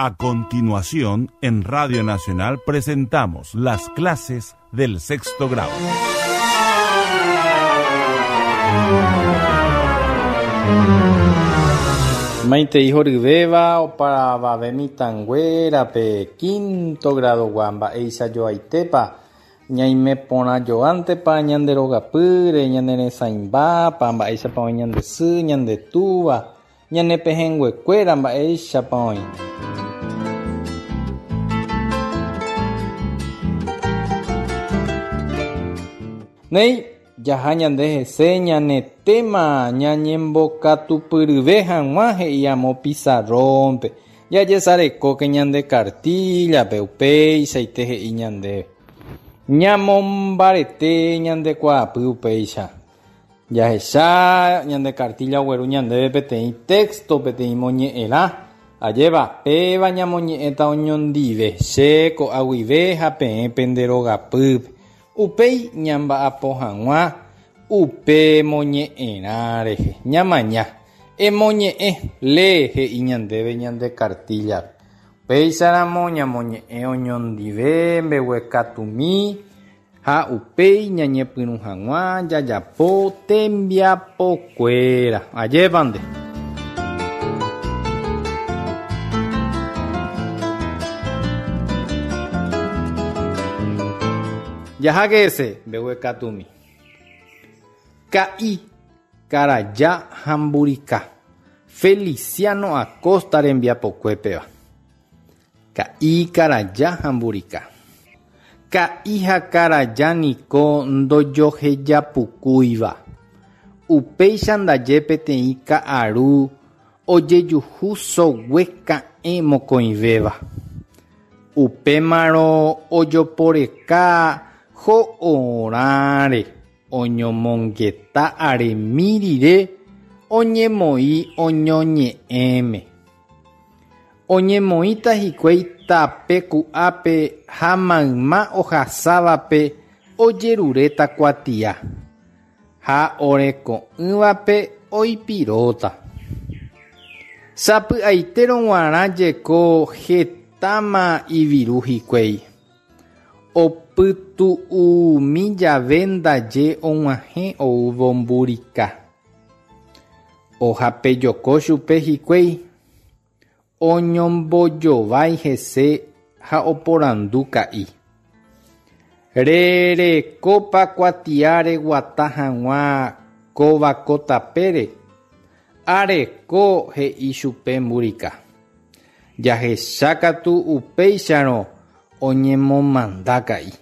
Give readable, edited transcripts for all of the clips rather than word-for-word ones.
A continuación, en Radio Nacional presentamos las clases del sexto grado. Maitei horyvéva opavave mitãnguérape quinto grado-gua mba'éicha joaitépa ñaime porã joántepa ñande rogapýre, ñane resãimbápa, mba'éichapa oĩ ñande sy, ñande túva, Ñane pehẽnguekuéra mba'éichapa oĩ. Néi, jaha ñande hese ñane téma ñañembokatupyryve hag̃ua he'i amo pizarrón-pe. Jajesarekóke ñande kartíllape, upeichaite he'i ñandéve. Ñamombarete ñande kuaapy upéicha. Jahecha ñande kartílla ogueru ñandéve peteĩ téxto, peteĩ moñe'ẽrã. Ajépa, péva ñamoñe'ẽta oñondive, che ko'a guive ha peẽ pende rogapýpe. Upéi ñamba'apo hag̃ua upe moñe'ẽrã rehe. Ñamaña. Emoñe'ẽ, lee, he'i ñandéve ñande kartíllape. Upéicharamo ñamoñe'ẽ oñondive mbeguekatumi. Ha upéi ñañepyrũ hag̃ua jajapo tembiapokuéra. Ajépa nde. Jaháke hese mbeguekatumi. Ka'i, Karaja ha Mburika, Feliciano Acosta rembiapokue péva. Ka'i, karaja ha mburika. Ka'i ha karaja niko ndojohejapukúiva. Upéicha ndaje peteĩ ka'aru ojejuhu sogue ka'ẽ mokõivéva. Upémarõ ojoporeka ho'orãre oñomongeta aremi rire oñemoĩ oñoñe'ẽme. Oñemoĩta hikuái tape ku'ápe ha mayma ohasávape ojeruréta kuatia, ha oreko'ỹvape oipiróta. Sapy'aitérõ g̃uarã jeko hetáma iviru hikuái. Opytu'umi jave ndaje og̃uahẽ oúvo mburika. Ohapejoko chupe hikuái, oñombojovái hese ha oporandu ka'i. Rerekópa kuatia reguata hag̃ua kóva ko tapére? Areko, he'i chupe mburika. Jahecha katu upéicharõ oñemomanda ka'i.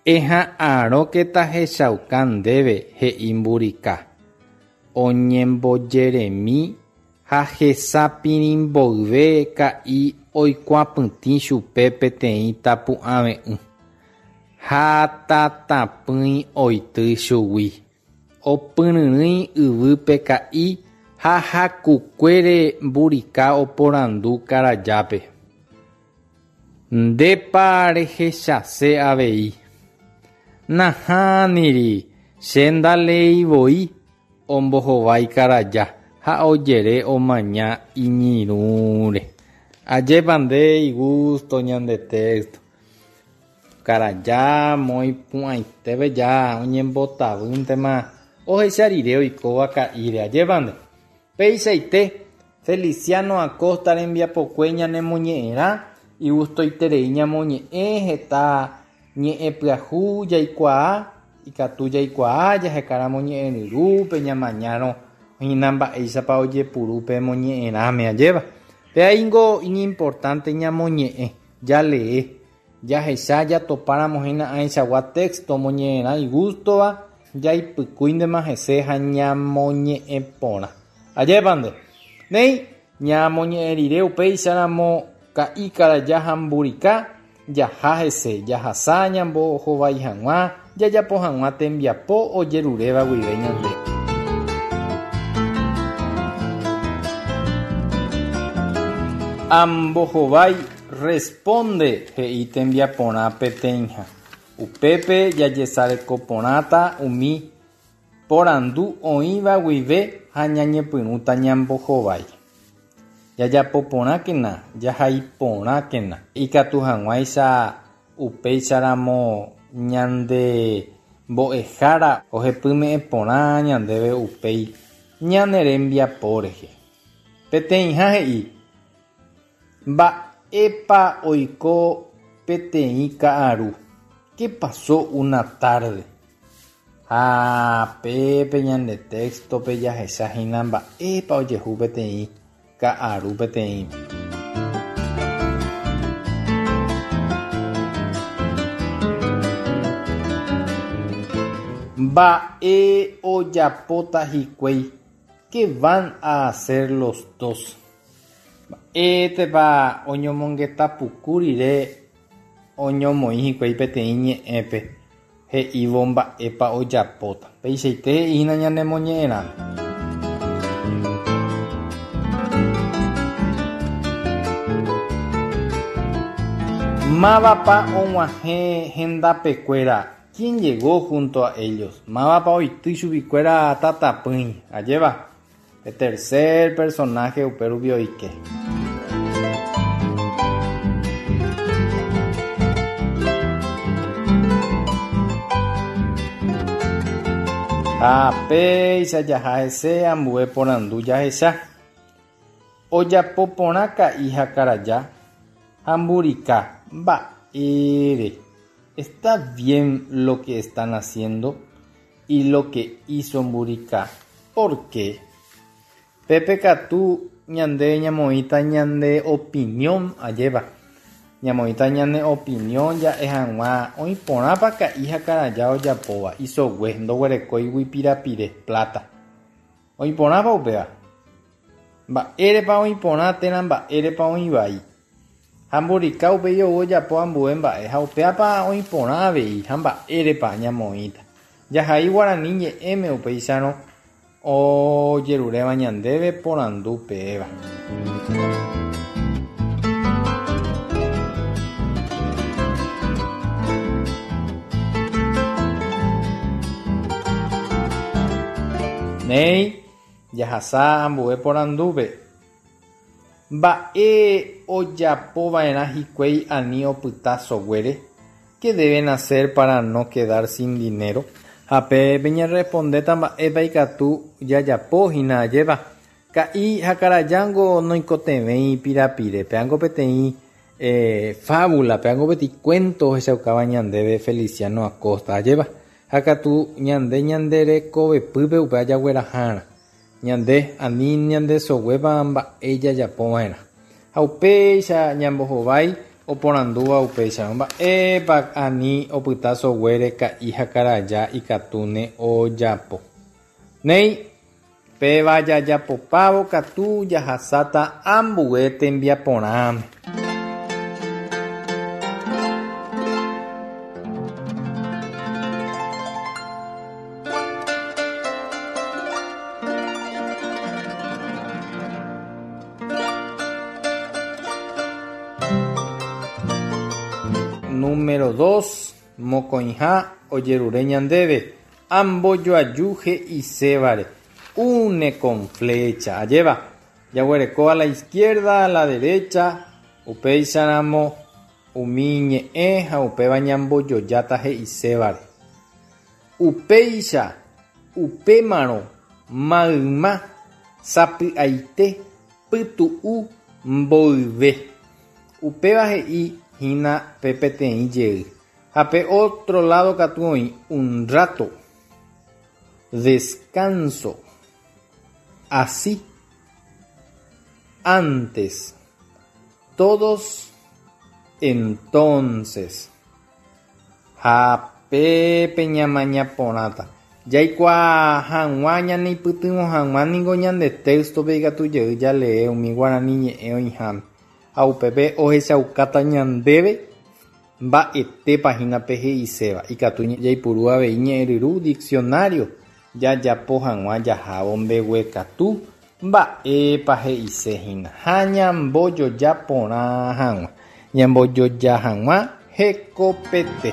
Eha'arõke tahechauka ndéve, he'i mburika, oñembojeremi ha hesa pirĩ mboyve ka'i oikuapytĩ chupe peteĩ tapu'ãve'ỹ, ha tatapỹi oity chugui. Opyryrỹi yvýpe ka'i ha hakukuére mburika oporandu karajápe. Ndépa rehechase avei? Nahániri, che ndaleéi voi, ombohovái karaja ha ojere omaña iñirũre. Ajépa nde igústo ñande téxto. Karaja moipu'ãitépe ja oñembotavýntema ohecha rire oikóva ka'íre. Ajépa nde. Peichaite, Feliciano Acosta rembiapokue ñanemoñe'ẽrã, igustoiterei ñamoñe'ẽ heta ñe'ẽ pyahu jaikuaa, ikatu jaikuaa jahekáramo ñe'ẽryrúpe ñamañárõ hína mba'éichapa ojepuru pe moñe'ẽrãme, ajépa. Péa ingo iñimportánte ñamoñe'ẽ, jalee, jahecha jatopáramo hína ãichagua texto moñe'ẽrã igústova, Jaipykúintema hese ha ñamoñe'ẽ porã. Ajépa nde. Néi, ñamoñe'ẽ rire upéicharamo ka'i karaja ha mburika, jaha hese, jahasa ñambohovái hag̃ua, jajapo hag̃ua tembiapo ojeruréva guive ñande. Ambohovái, responde, he'i tembiaporã peteĩha. Upépe jajesareko porãta umi porandu oĩva guive ha ñañepyrũta ñambohovái. Jajapo porãkena, jahai porãkena. Ikatu hag̃uáicha upéicharamo ñande mbo'ehára ohepyme'ẽ porã ñandéve upéi ñane rembiapo rehe. Peteĩha he'i, Mba'épa oiko peteĩ ka'aru? Qué pasó una tarde? Ha pépe ñande téxtope jahecha hína mba'épa ojehu peteĩ ka'aru peteĩme. Mba'e ojapóta hikuái? Qué van a hacer los dos? Mba'étepa oñomongeta puku rire oñomoĩ hikuái peteĩ ñe'ẽpe he'ívo mba'épa ojapóta? Peichaite he'i hína ñane moñe'ẽrãme. Mávapa og̃uahẽ hendapekuéra? Quién llegó junto a ellos? Mávapa oity chuguikuéra tatapỹi? Ajéva. Pe tercer personaje upérupi oike. Ha péicha jaha hese ambue porandu jahecha. Ojapo porã ka'i ha karaja ha mburika mba'ére. Está bien lo que están haciendo? Y lo que hizo mburika, por qué? Pépe katu ñande ñamoĩta ñande opinión, ajépa? Ñamoĩta ñane opinión ja'e hag̃ua oĩ porãpa ka'i ha karaja ojapóva, isogue, ndoguerekóigui pirapire, plata. Oĩ porãpa upéva? Mba'érepa oĩ porã térã mba'érepa oĩ vai? Ha mburika upéi ou ojapo ambue mba'e ha upéapa oĩ porã avei ha mba'érepa ñamoĩta. Jahai guarani ñe'ẽme upéicharõ ojeruréva ñandéve porandu péva. Néi, jahasa ambue porandúpe. Mba'e ojapo va'erã hikuái ani opyta soguére? Qué deben hacer para no quedar sin dinero? Ha pe peñerrespondéta mba'épa ikatu jajapo hína ajépa. Ka'i ha karajángo noikotevẽi pirapire, péango peteĩ fábula, péango peteĩ cuento ohechaukáva ñandéve Feliciano Acosta ajépa. Ha katu ñande ñande rekovepýpe upéva jaguerahárã. Ñande ani ñandesoguéva mba'e jajapova'erã. Ha upéicha ñambohovái oporandúva upéicharõ, mba'épa ani opyta soguére ka'i ha karaja ikatúne ojapo. Néi, péva jajapopávo katu jahasáta ambue tembiaporãme. Número dos, mokõiha ojerure ñandéve ambojoaju he'isévare, une con flecha. Ajéva, jaguereko a la izquierda, a la derecha, upéicharamo Umi ñe'ẽ ha upéva ñambojojáta he'isévare. Upéicha, upémarõ mayma sapy'aite pytu'u mboyve. Upéva he'i hína pe peteĩ jey. Ha pe ótro ládo katu oĩ un rato. Descanso. Así. Antes. Todos entonces. Ha pépe ñamaña porãta. Jaikuaa hag̃ua ñaneipytyvõ hag̃ua ningo ñande téystope ikatu jey jalee umi guarani ñe'ẽ oĩháme, ha upépe ohechaukáta ñandéve mba'etépa hína pe he'iséva. Ikatu jaipuru avei ñe'ẽryru, diccionario, Jajapo hag̃ua jahávo mbeguekatu mba'épa he'ise hína ha ñambojoja porã hag̃ua, ñambojoja hag̃ua hekopete.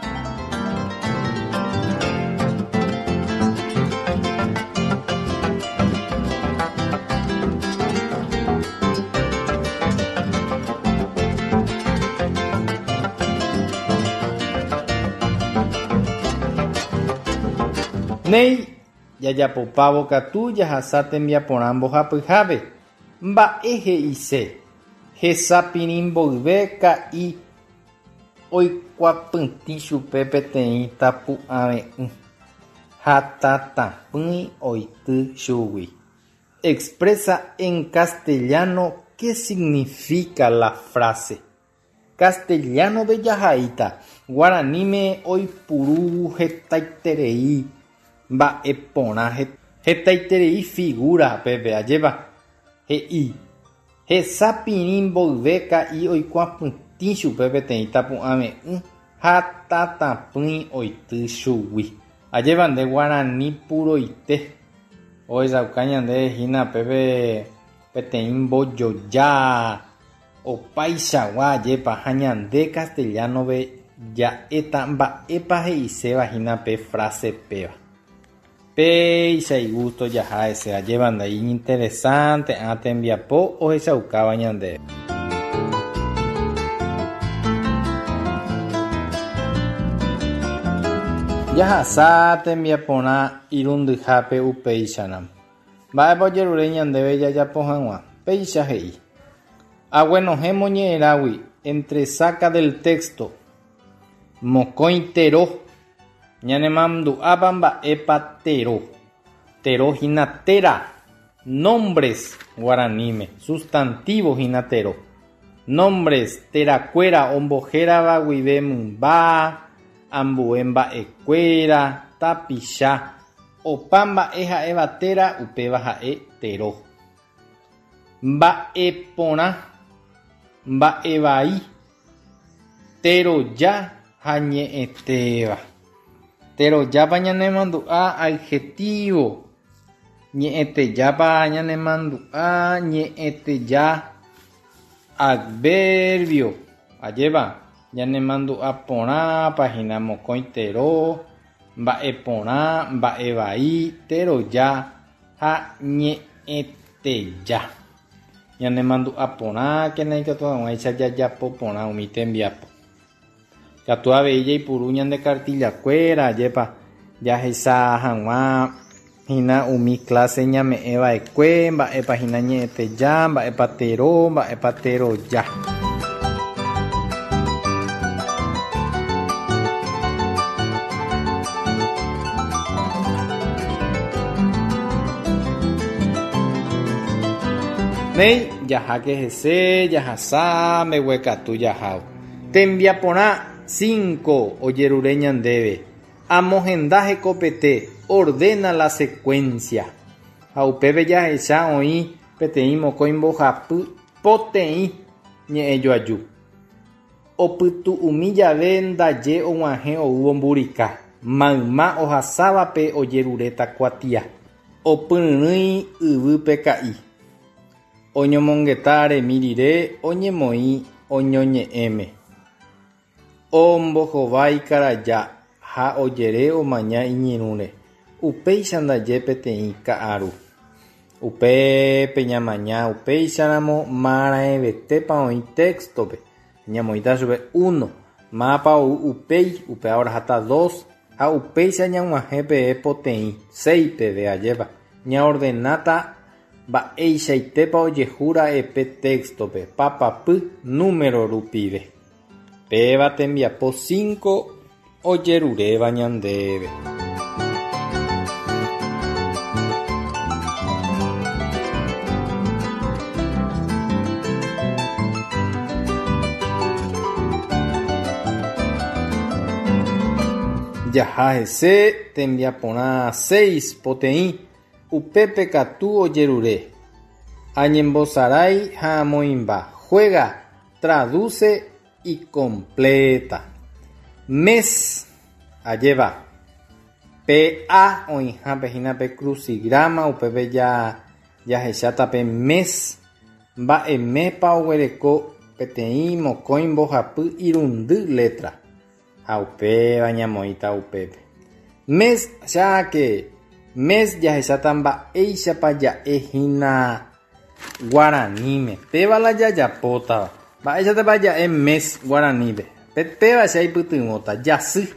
Néi, jajapopávo katu jahasa tembiaporã mbohapyhápe. Mba'e he'ise? Hesa pirĩ mboyve ka'i oikuapytĩ chupe peteĩ tapu'ave'ỹ ha tatapỹi oity chugui. Expresa en castellano qué significa la frase. Castellano-pe jahaíta, guaraníme oipuru hetaiterei mba'e porã, hetaiterei figura pépe, ajépa? He'i, hesa pirĩ mboyve ka'i oikuapytĩ chupe peteĩ tapu'ãve'ỹ ha tatapỹi oity chugui. Ajépa nde guarani puroite ohechauka ñandéve hína pépe peteĩ mbojoja opaichagua ajépa ha ñande castellano-pe ja'éta mba'épa he'iséva hína pe frase péva. Péicha igusto jaha hese ajépa nde iñinteresante ã tembiapo ohechaukáva ñandéve. Jahasa tembiaporã irundyhápe upéicharamo. Mba'épa ojerure ñandéve jajapo hag̃ua? Péicha he'i. Aguenohẽ moñe'ẽrãgui entresaca del texto mokõi tero. Ñanemandu'ápa mba'épa tero? Tero hína téra, nombres, guaraníme, sustantivo hína tero. Nombres, terakuéra ombohérava guive mymba, ambue mba'ekuéra, tapicha, opa mba'e ha'éva téra upéva ha'e tero. Mba'e porã, mba'e vai, teroja ha ñe'ẽtéva. Terojápa ñanemandu'a adjetivo, ñe'ẽtejápa ñanemandu'a ñe'ẽteja adverbio. Ajépa, ñanemandu'a porãpa hína mokõi tero, mba'e porã, mba'e vai, teroja ha ñe'ẽteja. Ñanemandu'a porãkena ikatu hag̃uáicha jajapo porã umi tembiapo. Katu avei jaipuru ñande kartillakuéra, ajépa jahecha hag̃ua hína umi kláse ñame'ẽ va'ekue, mba'épa hína ñe'ẽteja, mba'épa tero, mba'épa teroja. Néi, jaháke hese, jahasa, mbeguekatu jahávo. Tembiaporã cinco ojerure ñandéve, amohenda hekopete, ordena la secuencia. Ha upépe jahecha oĩ peteĩ mokõi mbohapy poteĩ ñe'ẽjoaju. Opytu'umi jave ndaje og̃uahẽ oúvo mburika, mayma ohasávape ojeruréta kuatia. Opyryrỹi yvýpe ka'i. Oñomongeta aremi rire oñemoĩ oñoñe'ẽme. Ombohovái karaja ha ojere omaña iñirũre. Upéicha ndaje peteĩ ka'aru. Upépe ñamaña upéicharamo maraẽvetépa oĩ texto-pe. Ñamoĩta chupe uno, mávapa ou upéi, upéva oraháta dos, ha upéicha ñag̃uahẽ peve poteĩ, seis peve, ajépa. Ñaordenáta mba'eichaitépa ojehu ra'e pe texto-pe, papapy número rupive. Péva tembiapo cinco ojeruréva ñandéve. Jaha hese tembiaporã seis poteĩ, upépe katu ojerure. Añembosarái ha amoĩmba. Juega, traduce y completa. Mes, ajépa, pe A oĩhápe hína pe crucigrama, upépe jahecháta pe mes, mba'e méspa oguereko peteĩ, mokõi, mbohapy, irundy letra. Ha upéva ñamoĩta upépe. Mes, cháke, mes jahecháta mba'éichapa ja'e hína guaraníme. Péva la jajapótava. Mba'éichatapa ja'e mes guaranípe? Péva che aipytyvõta. Jasy.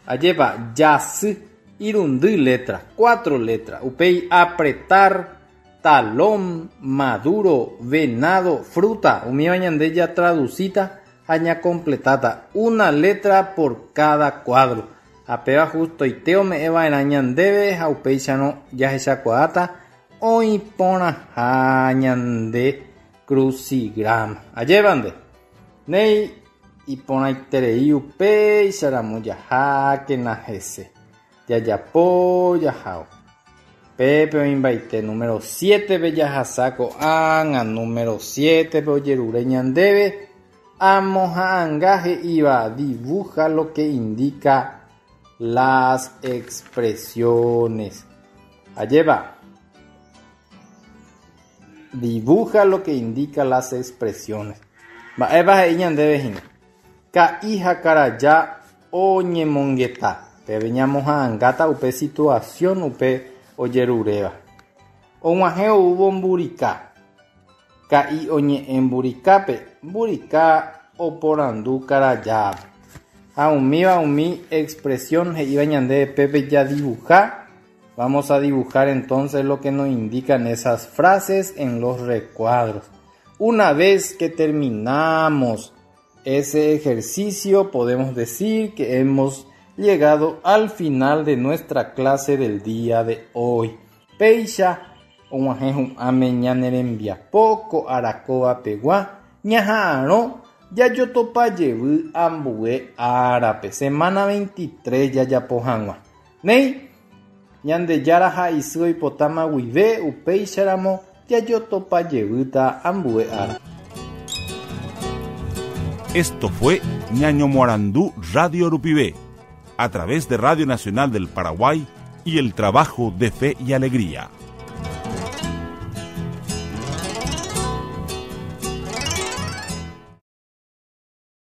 Ajépa, jasy. Irundy letra, cuatro letra. Upéi apretar, talón, maduro, venado, fruta. Umíva ñande jatradusíta ha ñakompletáta una letra por cada cuadro. Ha péva hustoite ome'ẽ va'erã ñandéve ha upéicharõ jahechakuaáta oĩ porãha ñande crucigrama. Ajépa nde? Néi, iporãiterei upéicharamo jahákena hese. Jajapo jahao. Pépe oĩmbaite número siétepe jahasa ko'ág̃a número siétepe ojerure ñandéve amoha'anga he'íva dibuja lo que indica las expresiones. Ajépa? Dibuja lo que indica las expresiones. Mba'épa he'i ñandéve hína? Ka'i ha karaja oñemongeta. Pépe ñamoha'angáta upe situación upe ojeruréva. Og̃uahẽ oúvo mburika. Ka'i oñe'ẽ mburikápe, mburika oporandu karajápe. Ha umíva umi expresión he'íva ñandéve pépe jadibuja. Vamos a dibujar entonces lo que nos indican esas frases en los recuadros. Una vez que terminamos ese ejercicio, podemos decir que hemos llegado al final de nuestra clase del día de hoy. Péicha og̃uahẽ hu'ãme ñane rembiapo ko ára kóva pegua ñaha'arõ jajotopa jevy ambue árape, semana 23 jajapo hag̃ua. Néi, Ñandejára ha isy oipotáma guive upéicharamo jajotopa jevýta ambue ára. Esto fue Ñañomoarandu Radio Rupive, a través de Radio Nacional del Paraguay y el trabajo de Fe y Alegría.